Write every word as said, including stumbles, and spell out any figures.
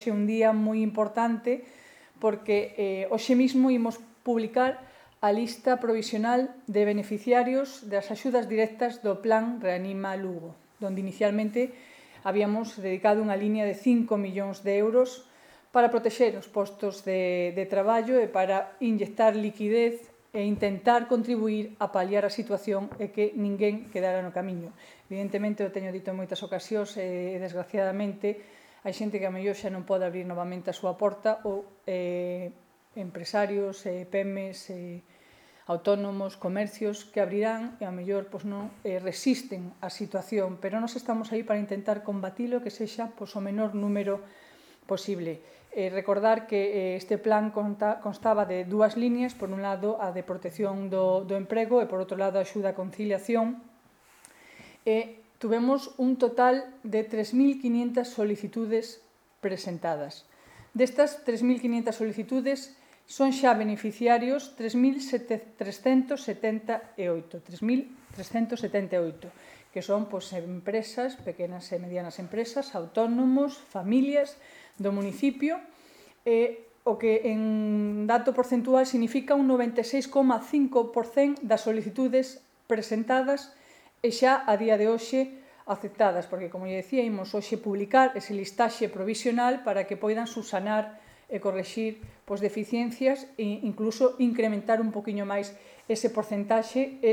É un día moi importante porque eh, hoxe mismo imos publicar a lista provisional de beneficiarios das axudas directas do Plan Reanima Lugo, onde inicialmente habíamos dedicado unha línea de cinco millóns de euros para protexer os postos de, de traballo e para inyectar liquidez e intentar contribuir a paliar a situación e que ninguén quedara no camiño. Evidentemente, eu teño dito en moitas ocasións e, desgraciadamente, hai xente que a mellor xa non pode abrir novamente a súa porta ou eh, empresarios, eh, pemes, eh, autónomos, comercios que abrirán e a mellor pois, non eh, resisten a situación, pero nós estamos aí para intentar combatilo que sexa pois, o menor número posible. Eh, recordar que eh, este plan conta, constaba de dúas líneas, por un lado a de protección do, do emprego e por outro lado a axuda a conciliación. E tuvemos un total de tres mil quiñentas solicitudes presentadas. Destas tres mil quiñentas solicitudes son xa beneficiarios tres mil trescentos setenta e oito, tres mil trescentos setenta e oito, que son pois, empresas, pequenas e medianas empresas, autónomos, familias do municipio, e o que en dato porcentual significa un noventa e seis coma cinco por cento das solicitudes presentadas e xa a día de hoxe aceptadas, porque, como lle decía, imos hoxe publicar ese listaxe provisional para que poidan subsanar e correxir pois, deficiencias e incluso incrementar un poquinho máis ese porcentaxe e